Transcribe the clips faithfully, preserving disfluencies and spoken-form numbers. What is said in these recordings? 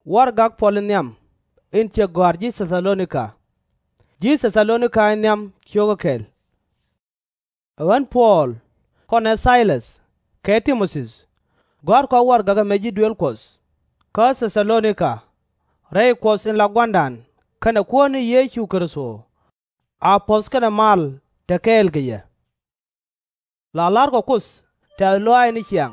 Warɛgak Puɔl in nhiam in cɛ gɔ̱a̱r ji̱ Thɛ-tha-lo-ni-ka. Ji̱ Thɛ-tha-lo-ni-ka in nhiam cio̱kä kɛl. Ɛ ɣän Puɔl kɔnɛ Thay-läth kɛ Ti-mo-thi, gɔ̱a̱rkɔ warɛgak ɛmɛ ji̱ duëël Kuɔth kä Thɛ-tha-lo-ni-ka. Rɛy Kuɔth in la Gua̱a̱ra kɛnɛ Kuäär ni Yecu Kritho, a puɔ̱th kɛnɛ mal te kɛɛl kɛ yɛ. La la̱rkɔ Kuoth tɛ̈th lɔaac ni ciaŋ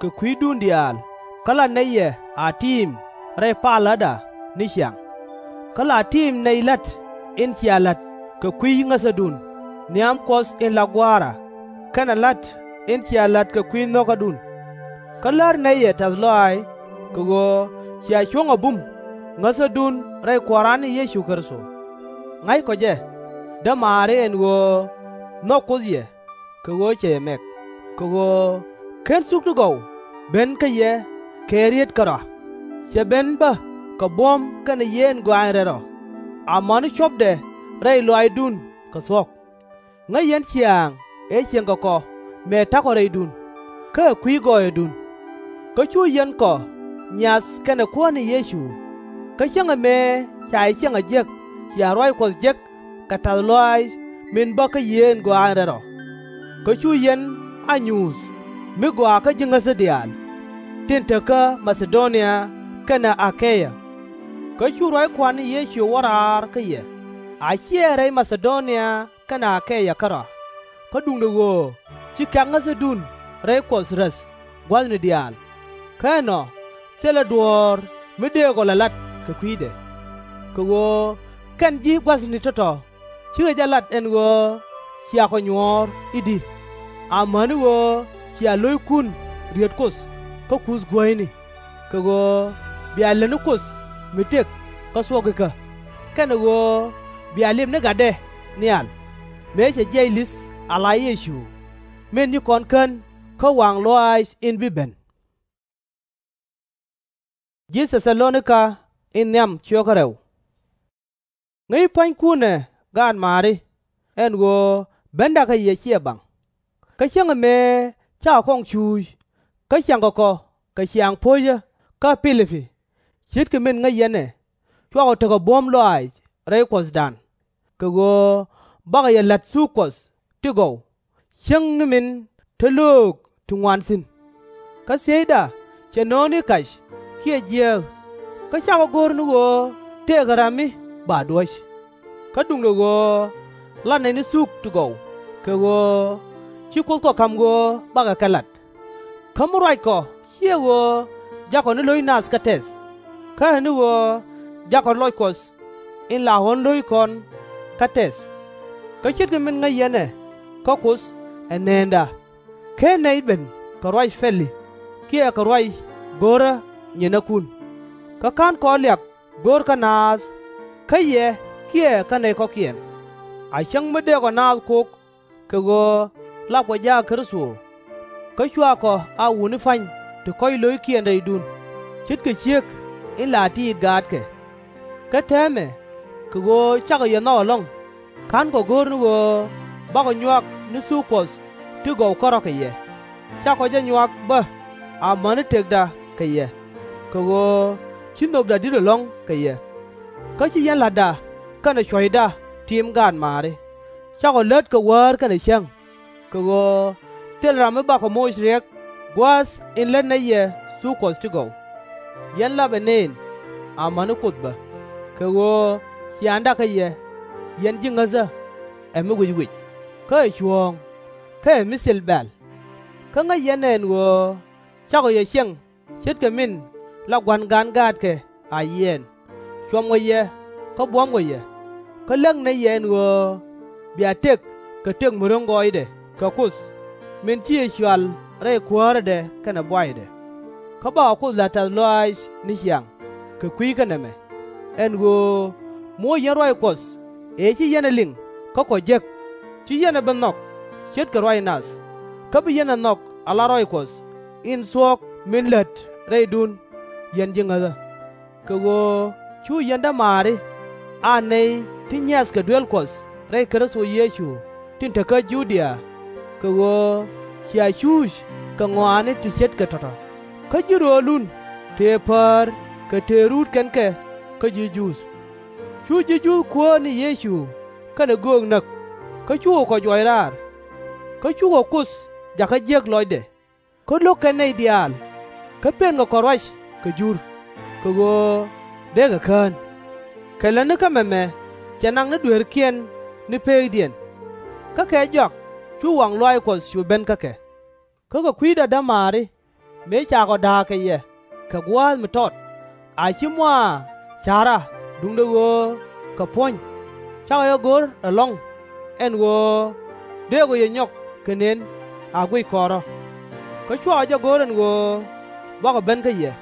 kɛ kui̱dun diaal, kä la nɛy yɛ a tiim rɛy paläda ni ciaŋ. Kä la tiim nɛy la̱t in cia la̱t kɛ kui̱ ŋäthädun nhiam Kuɔth in la Gua̱a̱ra, kɛnɛ la̱t in cia la̱t kɛ kui̱ nho̱kädun. Kä lär nɛy yɛ tɛ̈th lɔaac, kɛ ɣöö cia cuɔ̱ŋ a bum ŋäthädun rɛy Kua̱ran ni Yecu Kritho. Ŋa̱ckɔ jɛ, dämaari, ɛn ɣöö nhɔk Kuoth yɛ kɛ ɣöö cɛ yɛ mɛk, kɛ ɣöö /ken thuk ti gɔw ben kä yɛ kɛ rieet kärɔa. Cɛ ben bä kɛ buɔ̱m kɛnɛ yieen gɔaany rɛl rɔ, amäni cuɔ̱pdɛ rɛy lɔaacdun kɛ thuɔ̱k. Ŋäc yɛn ciaŋ ëë cieŋ kɛ kɔ mëë ta̱kɔ rɛydun, kä ɛ kui̱ gɔɔyädun. Kä cu yɛn kɔ nyiath kɛnɛ Kuäär ni Yecu. Kä cäŋɛ mëë ca yɛ ciɛŋ a jiäk, cia ruac Kuɔth jek kɛ tɛ̈th lɔaac min bä kä yieen gɔaany rɛl rɔ. Kä cu yɛn a nyuuth mi gɔaa kä ji̱ ŋäthä diaal tin te kä Ma-tha-do-nia kɛnɛ A-ke-ya. Kä cu ruac Kua̱r ni Yecu wä raar kä yɛ, a /ciɛ rɛy Ma-tha-do-nia kɛnɛ A-ke-ya kärɔa. Kä duundɛ ɣöö ci kɛ̈k ŋäthädun rɛy Kuɔth räth gua̱thni diaal. Kä ɛnɔ thilɛ duɔ̱ɔ̱r mi dëëkɔ lɛ lat kɛ kui̱dɛ. Kɛ ɣöö kɛn ji̱ gua̱thni tɔ̱tɔ̱ /cikɛ jɛ lat ɛn ɣöö cia kɔ nyuɔ̱ɔ̱r i̱di, amäni ɣöö cia lo̱ckun riet Kuoth kä kuth guäyni, kɛ ɣöö bia lätni Kuoth mi tëk kä thuɔ̱k ikä, kɛnɛ ɣöö bia lip ni Gatdɛ nhial, mëë cɛ jiɛc li̱th ala Yecu, min ci kɔn kän kä waŋ lɔaac in bi ben. Ŋäc pua̱nykun ɛ, gaat maari, ɛn ɣöö bendä kä yɛ /ciɛ baŋ. Kä cäŋɛ mëë cakɔ kɔŋ cuuc, kä ciaŋkɔ kɔ kɛ ciaŋ po̱cä kä Pi-li-pi, ce̱tkɛ min ŋäc yɛn ɛ, cuakɔ tekɛ buɔ̱m lɔaac rɛy Kuɔthdan, kɛ ɣöö bakɔ yɛ la̱t thuk Kuɔth ti gɔw, cäŋ ni min te löök ti ŋuan thi̱n. Kä thiecda cɛ no̱o̱ŋni kac kiɛ jiääk, kä cakɔ go̱r ni ɣöö tëëkɛ ram mi ba duäc. Kä duundɛ ɣöö lat nɛy ni thuk ti gɔw, kɛ ɣöö ci Kuoth kɔ ka̱m ɣöö bakɔ kɛ lat. Kä mi ruackɔ /ciɛ ɣöö jakɔ ni lo̱c nath kä tɛth, kä ɛ ni ɣöö jakɔ lɔc Kuɔth in la ɣɔ̱n lo̱ckɔn kä tɛth. Kä ce̱tkɛ min ŋäc yɛn ɛ, kä Kuoth ɛ neenda, /ken nɛy ben kɛ ruac pɛli kiɛ kɛ ruac go̱rä nyinäkun. Kä /ka̱nkɔ liak go̱r kä naath, kä yɛ kiɛ kä nɛy kɔ̱kiɛn. A cäŋ mi dëëkɔ naath kok, kɛ ɣöö lapkɔ jaak Kritho, kä cuaakɔ a wutni pa̱ny ti kɔ̱c lo̱ckiɛn rɛydun, ce̱tkɛ ciek in la tiit gaatkɛ. Kä täämɛ, kɛ ɣöö cakɔ yɛ nhɔk ɛlɔ̱ŋ, /ka̱nkɔ go̱r ni ɣöö bakɔ nyuak ni thuk Kuɔth ti gɔw kärɔ̱ kɛ yɛ, cakɔ jɛ nyuak bä amäni tëkda kɛ yɛ, kɛ ɣöö ci nhökda di̱t ɛlɔ̱ŋ kɛ yɛ. Kä ci yɛn la̱tda kɛnɛ cuɔ̱cda tim gaat maari, cakɔ lät kɛ wäär kɛnɛ cäŋ, kɛ ɣöö thilɛ ram mi bakɔ moc riɛk gua̱a̱th in lät nɛy yɛ thuk Kuɔth ti gɔw. Yɛn lapɛ nëën amäni Kuoth bä, kɛ ɣöö ciaaŋda kä yɛ, yɛn ji̱ ŋäthä, ɛ mi wic wic, kä ɛ cuɔ̱ɔ̱ŋ, kä ɛ mi thil bɛ̈l. Kä ŋäc yɛn ɛ ɛn ɣöö cakɔ yɛ ciɛŋ ce̱tkɛ min la gua̱n gan gaatkɛ a yiɛɛn, cuɔmkɔ yɛ kä buɔ̱mkɔ yɛ. Kä läŋ nɛy yɛ ɛn ɣöö bia tëk kɛ tëk mi ro̱ŋ gɔɔydɛ kɛ Kuoth, min ci yɛ cɔal rɛy kuäärädɛ kɛnɛ buaydɛ. Kä bakɔ Kuoth la̱t tɛ̈th lɔaac ni ciaŋ kɛ kui̱ kä nɛmɛ, ɛn ɣöö mi wä yɛn ruac Kuɔth ëë ci yɛn ɛ liŋ kä kɔ jek, /ci yɛn ɛ bi nhɔk ce̱tkɛ ruac nath, kä bi yɛn ɛ nhɔk ala ruac Kuɔth in thuɔ̱k min lät rɛydun, yɛn ji̱ ŋäthä. Kɛ ɣöö cu yɛn dämaari a nɛy ti nyiathkɛ duel Kuɔth rɛy Kritho Yecu tin te kä Ju-dia, kɛ ɣöö cia cuuc kɛ ŋɔaani ti ce̱tkɛ tɔ̱tɔ̱, kä ji̱ röölun tëë päär kɛ tëë ruut kɛn kɛ kä ji̱ Juudh. Cu ji̱ Juudh Kuäär ni Yecu kɛnɛ göök näk, kä cukɛ kɔ juɔc raar. Kä cukɛ Kuoth jakä jiäk lɔcdɛ, kä lo̱k kɛn nɛy diaal, kä pënkɛ kɔ ruac kɛ Jur, kɛ ɣöö dee kɛ kään. Kɛ lätni kä mɛmɛ cɛ naŋ ni dueerkiɛn ni peekdiɛn. Kä kɛ jɔak cu waŋ lɔaac Kuɔth cu ben kä kɛ. Kä kɛ kui̱da, dämaari, mëë ca kɔ da̱a̱k kɛ yɛ kɛ gua̱a̱th mi tɔt, a /ci mɔ a ca̱ra, duundɛ ɣöö kɛ puɔ̱ny, cakɔ jɛ go̱r ɛlɔ̱ŋ ɛn ɣöö dëëkɔ yɛ nyɔk kɛ nën a guic kɔn rɔ̱. Kä cuakɔ jɛ go̱r ɛn ɣöö bakɔ ben kä yɛ,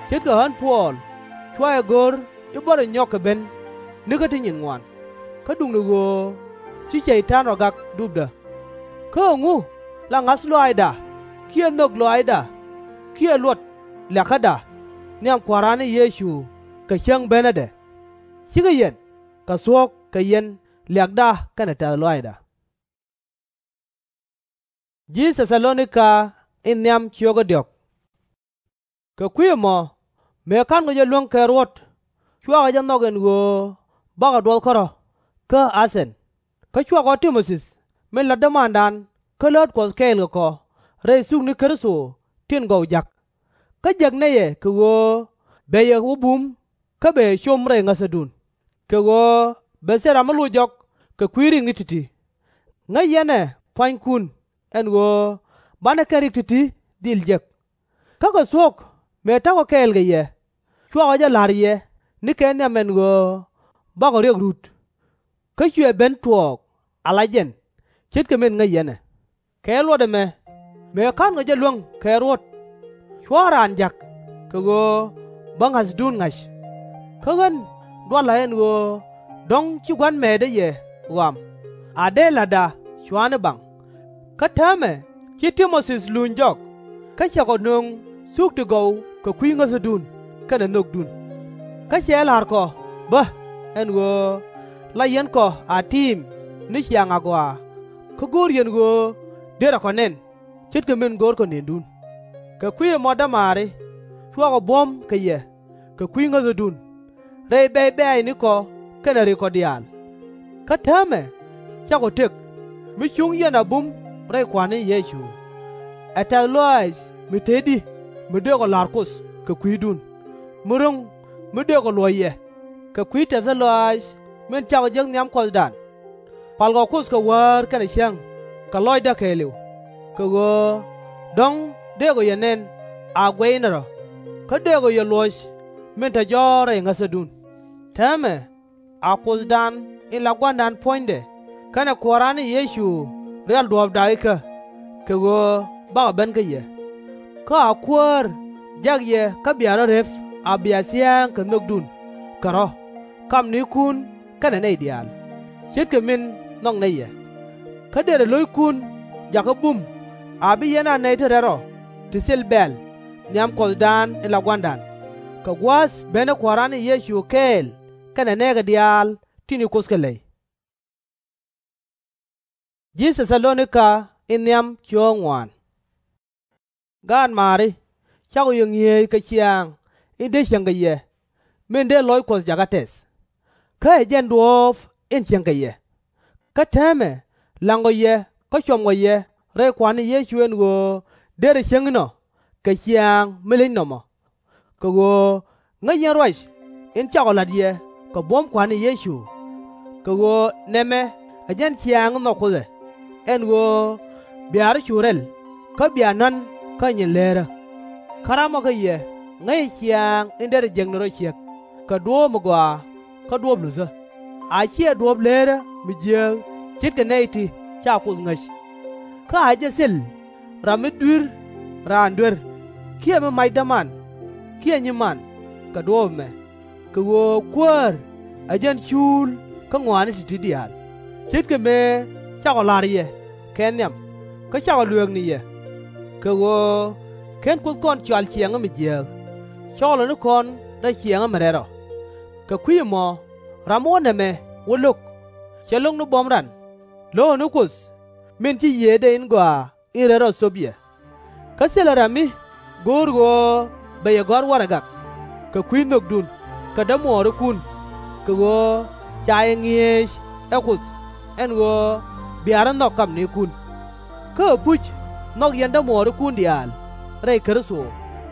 ce̱tkɛ ɣän Puɔl cua jɛ go̱r i̱ bä rɔ nyɔk kɛ ben nikä ti nyin ŋuan, kä duundɛ ɣöö ci Cɛy-tan rɔ gak dupdä. Kä ɛŋu la ŋa̱th lɔaacda, kiɛ nhök lɔaacda, kiɛ luɔt liakäda nhiam Kua̱ran ni Yecu kɛ cäŋ benädɛ? /Cikɛ yɛn kɛ thuɔ̱k kɛ yɛn liakda kɛnɛ tɛ̈th lɔaacda. Kɛ kui̱ ɛmɔ, mëë ka̱nkɔ jɛ luäŋ kɛ ruɔ̱t, cuakɔ jɛ nhɔk ɛn ɣöö bakɔ duɔth kärɔ̱ kä A-thɛn. Kä cuakɔ Ti-mo-thi min la dämandan kä läät Kuɔth kɛɛl kɛ kɔ rɛy thukni Kritho tin gɔw ja̱k. Kä jek nɛy ɛ kɛ ɣöö bɛ yɛ wä bum kä bɛ yɛ com rɛy ŋäthädun, kɛ ɣöö bɛ thil ram mi loc jɔk kɛ kui̱ rikni ti̱ti̱. Ŋäc yɛn ɛ pua̱nykun ɛn ɣöö banɛ kɛn rik ti̱ti̱ dhil jek. Kä kɛ thuɔ̱k mëë ta̱kɔ kɛɛl kɛ yɛ, cuakɔ jɛ la̱r yɛ nikɛ nhiam ɛn ɣöö bakɔ riɛk rut. Kä cuɛ ben tuɔɔk ala jɛn, ce̱tkɛ min ŋäc yɛn ɛ. Kɛ luɔt ɛmɛ, mëë ka̱nkɔ jɛ luäŋ kɛ ruɔ̱t, /cuarɛ raan ja̱k kɛ ɣöö bä ŋa̱thdun ŋa̱c. Kä ɣän dualä ɛn ɣöö dɔ̱ŋ ci gua̱n mɛɛtdä yɛ ɣɔam, a dee la̱tda cua̱a̱ni baŋ. Kä täämɛ ci Ti-mo-thi luny jɔk, kä cɛ kɔ nöŋ thuk ti gɔw kɛ kui̱ ŋäthädun kɛnɛ nhökdun. Kä cɛ la̱r kɔ bä ɛn ɣöö la yɛn kɔ a tiim ni ciaŋ agɔaa, kä go̱o̱r yɛn ɣöö derɛ kɔ nɛn, ce̱tkɛ min görkɔ nëndun. Kɛ kui̱ ɛmɔ, dämaari, cuakɔ buɔ̱m kɛ yɛ kɛ kui̱ ŋäthädun, rɛy bɛ̈c bɛ̈ɛ̈cnikɔ kɛnɛ rikɔ diaal. Kä täämɛ cakɔ tëk, mi cuŋ yɛn a bum rɛy Kua̱r ni Yecu. Ɛ tɛ̈th lɔaac mi tëëdi mi dëëkɔ la̱r Kuoth kɛ kui̱dun, mi ro̱ŋ mi dëëkɔ luɔ̱c yɛ kɛ kui̱ tɛthä lɔaac min cakɔ jek nhiam Kuɔthdan. Palkɔ Kuoth kɛ wäär kɛnɛ cäŋ kɛ lɔcdä kɛɛliw, kɛ ɣöö dɔ̱ŋ dëëkɔ yɛ nɛn a guɛcnɛ rɔ̱, kä dëëkɔ yɛ luɔ̱c min te jɔ̱ɔ̱r rɛy ŋäthädun. Täämɛ a Kuothdan in la Gua̱ndan puɔ̱nydɛ kɛnɛ Kua̱ran ni Yecu rial duɔ̱ɔ̱pda ikä, kɛ ɣöö bakɔ ben kä yɛ. Kä a Kuäär jak yɛ kä bia rɔ̱ rep a bia thia̱a̱ŋ kɛ nhökdun kɛ rɔ̱, kamnikun kɛnɛ nɛy diaal, ce̱tkɛ min nhɔk nɛy ɛ. Kä derɛ lo̱ckun jakä bum a bi yɛn a nɛy ti rɛl rɔ ti thil bɛ̈ɛ̈l nhiam Kuɔthdan in la Gua̱ndan, kɛ gua̱a̱th benä Kua̱ran ni Yecu kɛɛl kɛnɛ nɛɛkɛ diaal tin ci Kuoth kɛ lɛy. Gaat maari, cakɔ yɛ ŋi̱eec kɛ ciaaŋ in dee cieŋ kɛ yɛ, min dee lɔc Kuɔth jakä tɛth. Kä ɛ jɛn duɔ̱ɔ̱p in cieŋ kɛ yɛ. Kä täämɛ la̱ŋkɔ yɛ kä cuɔmkɔ yɛ rɛy Kua̱r ni Yecu ɛn ɣöö derɛ cieŋ inɔ kɛ ciaaŋ mi leny nɔmɔ. Kɛ ɣöö ŋäc yɛn ruac in cakɔ la̱t yɛ kɛ buɔ̱m Kua̱r ni Yecu. Kɛ ɣöö nɛmɛ ɛ jɛn ciaaŋ in nhɔk Kuoth ɛ, ɛn ɣöö bia rɔ̱ cu rɛl kä bia na̱n kä nyin leerä. Kä ramɔ kä yɛ ŋäcɛ ciaaŋ in derɛ jek ni rɔ ciɛk kɛ duɔ̱ɔ̱p mi gɔaa kä duɔ̱ɔ̱p luthä, a /ciɛ duɔ̱ɔ̱p leerä mi jiääk ce̱tkɛ nɛy ti /ca Kuoth ŋäc. Kä a jɛ thil ram mi dui̱r raan duer, kiɛ mi mac däman, kiɛ nyiman kɛ duɔ̱ɔ̱p ɛmɛ, kɛ ɣöö Kuäär ɛ jɛn cuul kä ŋɔaani ti̱ti̱ diaal, ce̱tkɛ mëë cakɔ la̱r yɛ kɛ nhiam, kä cakɔ lueek ni yɛ. Kɛ ɣöö /ken Kuoth kɔn cɔal ciɛɛŋä mi jiääk, cɔlɛ ni kɔn rɛy ciɛɛŋä mi rɛl rɔ. Kɛ kui̱ ɛmɔ, ram mi wä nɛmɛ wä lo̱k, /cɛ lo̱k ni buɔ̱m ran, lo̱kɛ ni Kuoth min ci Yiëëdɛ in Gɔaa in Rɛl Rɔ thöp yɛ. Kä thilɛ ram mi go̱o̱r ɣöö bɛ yɛ gɔ̱a̱r warɛgak, kɛ kui̱ nhökdun kɛ dämuɔɔrikun, kɛ ɣöö ca yɛ ŋi̱eec ɛ Kuoth ɛn ɣöö bia rɔ̱ nhɔk kamnikun. Kä ɛpuc nhɔk yɛn dämuɔɔrikun diaal rɛy Kritho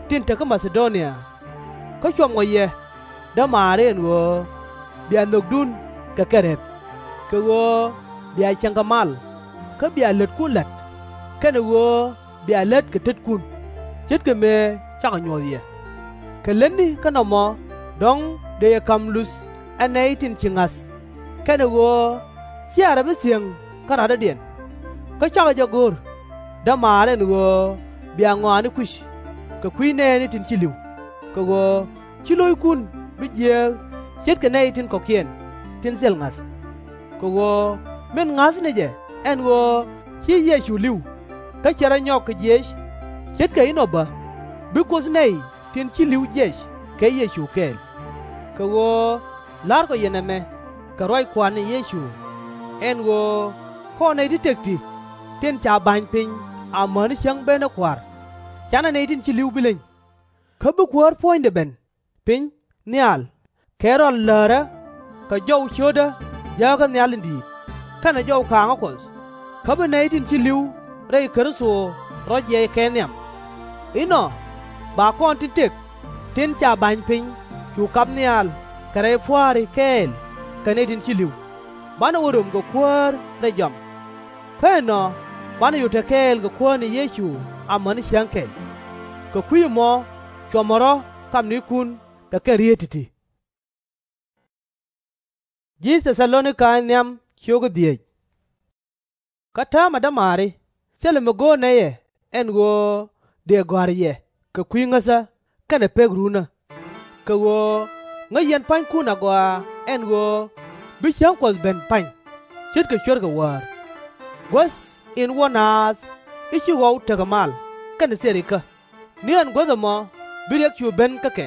tin te kä Ma-tha-do-nia. Kä cuɔmkɔ yɛ, dämaari, ɛn ɣöö bia nhökdun kɛ kɛ rep, kɛ ɣöö bia cieŋ kɛ mal, kä bia lätkun la̱t, kɛnɛ ɣöö bia lät kɛ tetkun, ce̱tkɛ mëë cakɔ nyuɔ̱th yɛ. Kɛ lätni kä nɔmɔ dɔ̱ŋ dëë yɛ ka̱m luth ɛ nɛy tin ci ŋa̱th, kɛnɛ ɣöö /cia rɔ̱ bi thiäŋ kä radɔ̱diɛn. Kä cakɔ jɛ go̱r, dämaari, ɛn ɣöö bia ŋɔaani kui̱c kɛ kui̱ nɛɛni tin ci li̱w, kɛ ɣöö /ci lo̱ckun bi jiääk ce̱tkɛ nɛy tin kɔ̱kiɛn tin thil ŋa̱th. Kɛ ɣöö min ŋa̱th ni jɛ ɛn ɣöö ci Yecu li̱w, kä cɛ rɔ nyɔk kɛ jiëc, ce̱tkɛ inɔ bä, bi Kuoth nɛy tin ci li̱w jiɛc kɛ Yecu kɛɛl. Kɛ ɣöö la̱rkɔ yɛ nɛmɛ kɛ ruac Kua̱r ni Yecu, ɛn ɣöö kɔn nɛy ti tëk ti tin ca ba̱ny piny amäni cäŋ benä Kua̱r, /canɛ nɛy tin ci li̱w bi leny. Kä bi Kuäär puɔ̱nydɛ ben piny nhial kɛ rɔal läärä kɛ jɔw cio̱tdä jääkä nhial in di̱i̱t, kɛnɛ jɔw ka̱a̱ŋä Kuɔth, kä bi nɛy tin ci li̱w rɛy Kritho rɔ jiɛc kɛ nhiam. Inɔ ba kɔn tin tëk tin ca ba̱ny piny cu kap nhial kɛ rɛy pua̱a̱ri kɛɛl kɛ nɛy tin ci li̱w, banɛ wä röm kɛ Kuäär rɛy jɔam. Kä ɛnɔ banɛ cu te kɛɛl kɛ Kuäär ni Yecu amäni cäŋ kɛl. Kɛ kui̱ ɛmɔ cuɔmɛ rɔ̱ kamnikun kɛ kɛn rieet ti̱ti̱. Kä täämɛ, dämaari, thilɛ mi go̱o̱rnɛ yɛ ɛn ɣöö dëë gɔ̱a̱rä yɛ kɛ kui̱ ŋäthä kɛnɛ pek runä. Kɛ ɣöö ŋäc yɛn pua̱nykun agɔaa ɛn ɣöö bi cäŋ Kuɔth ben pa̱ny, ce̱tkɛ cuer kɛ wäär. Guäth in wä naath i̱ ci ɣɔw tekɛ mal kɛnɛ thil rikä, ni ɛn guäth ɛmɔ bi riɛk cu ben kä kɛ,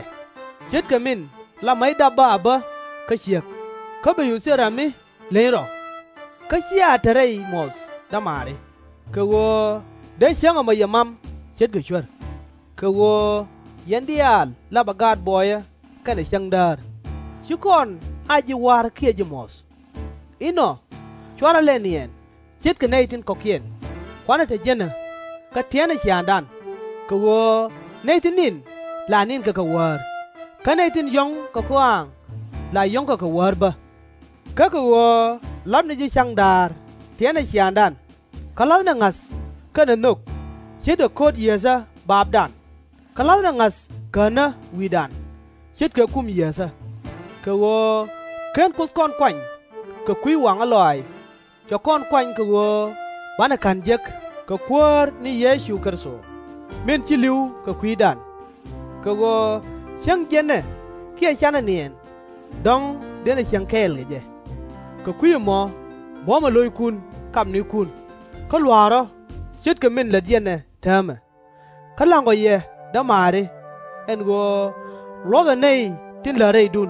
ce̱tkɛ min la mec dap bä a bä kä ciek, kä bɛ cu thil ram mi leny rɔ. Kä /cia te rɛy muɔ̱th, dämaari, kɛ ɣöö dee cäŋ ɛmɔ yɛ mam ce̱tkɛ cuer. Kɛ ɣöö yɛn diaal lapɛ gaat buɔyä kɛnɛ cäŋ däär, /ci kɔn a ji̱ wa̱r kiɛ ji̱ muɔ̱th. Inɔ /cuarɛ lɛ niɛɛn ce̱tkɛ nɛy tin kɔ̱kiɛn, kuanɛ te jinä kä tiɛtnɛ ciaaŋdan, kɛ ɣöö nɛy tin ni̱n la ni̱n kɛ kɛ wäär, kä nɛy tin yɔ̱ŋ kɛ kɔaaŋ la yɔ̱ŋ kɛ kɛ wäär bä. Kä kɛ ɣöö la̱thnɛ ji̱ ca̱ŋ da̱a̱r tiɛtnɛ ciaaŋdan, kä la̱thnɛ ŋa̱th kɛnɛ nhök ce̱tkɛ ko̱t yiëthä baapdan, kä la̱thnɛ ŋa̱th känä wi̱i̱dan ce̱tkɛ kum yiëthä. Kɛ ɣöö /ken Kuoth kɔn kuany kɛ kui̱ waŋä lɔaac, cɛ kɔn kuany kɛ ɣöö banɛ ka̱n jek kɛ Kuäär ni Yecu Kritho, min ci li̱w kɛ kui̱dan. Kɛ ɣöö cäŋ jiɛnɛ kiɛ canɛ niɛɛn, dɔ̱ŋ dënɛ cieŋ kɛɛl kɛ jɛ. Kɛ kui̱ ɛmɔ buɔ̱mɛ lo̱ckun kamnikun, kä lua̱k rɔ̱ ce̱tkɛ min lät yɛn ɛ täämɛ. Kä la̱ŋkɔ yɛ, dämaari, ɛn ɣöö luɔ̱thɛ nɛy tin lät rɛydun,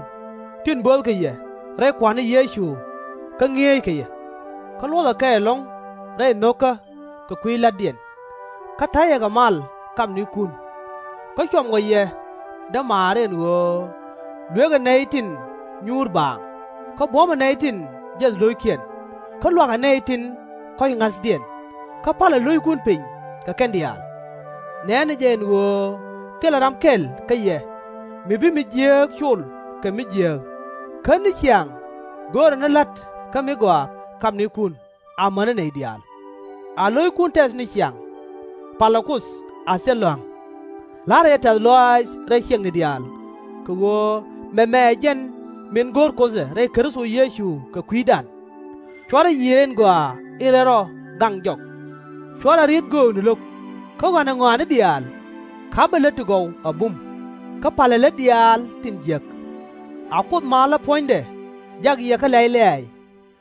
tin böthkɛ yɛ rɛy Kua̱r ni Yecu kä ŋi̱eeckɛ yɛ. Kä luɔ̱thɛ kɛ ɛlɔ̱ŋ rɛy nho̱kä kɛ kui̱ la̱tdiɛn. Kä ta̱yɛ kɛ mal kamnikun. Kä cuɔmkɔ yɛ, dämaari, ɛn ɣöö luëkɛ nɛy tin nyuur baaŋ, kä buɔ̱mɛ nɛy tin jiɛth lo̱ckiɛn, kä lua̱kɛ nɛy tin kɔ̱c ŋa̱thdiɛn, kä pa̱lɛ lo̱ckun piny kɛ kɛn diaal. Nɛ̈nɛ jɛ ɛn ɣöö thilɛ ram kɛl kä yɛ mi bi mi jiääk col kɛ mi jiääk. Kä ni ciaŋ görɛ ni la̱t kä mi gɔaa kamnikun amäni nɛy diaal. A lo̱ckun tɛth ni ciaŋ, palɛ Kuoth a thil lɔ̱a̱ŋ. La̱rɛ jɛ tɛ̈th lɔaac rɛy ciɛŋni diaal, kɛ ɣöö mɛmɛ ɛ jɛn min go̱o̱r Kuoth ɛ rɛy Kritho Yecu kɛ kui̱dan. /Cuarɛ yiëë in gɔaa in rɛl rɔ gaŋ jɔk. /Cuarɛ riet göökni lo̱k, kä ɣɔ̱a̱nɛ ŋɔaani diaal ka̱pɛ lät ti gɔw a bum, kä pa̱lɛ lät diaal tin jiäk. A Kuoth malä puɔ̱nydɛ jak yɛ kä lɛ̈y lɛ̈ɛ̈y,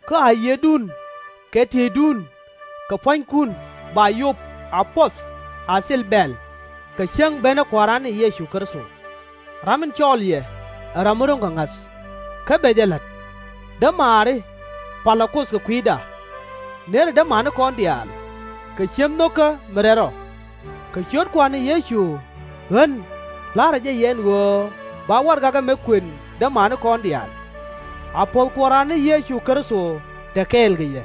kä a yiëëdun kɛ tiëcdun kɛ pua̱nykun ba yop a puɔth a thil bɛ̈ɛ̈l kɛ cäŋ benä Kua̱ran ni Yecu Kritho. Ram in cɔɔl yɛ ɛ ram mi ro̱ŋ kɛ ŋa̱th, kä bɛ jɛ la̱t. Dämaari, palɛ Kuoth kɛ kui̱da. Nëërɛ dämanikɔn diaal kɛ ci̱em nho̱kä mi rɛl rɔ. Kɛ ciöt Kua̱r ni Yecu ɣän la̱rä jɛ yɛ ɛn ɣöö ba warɛgak ɛmɛ kuën dämanikɔn diaal. A puɔ̱th Kua̱ran ni Yecu Kritho te kɛɛl kɛ yɛ.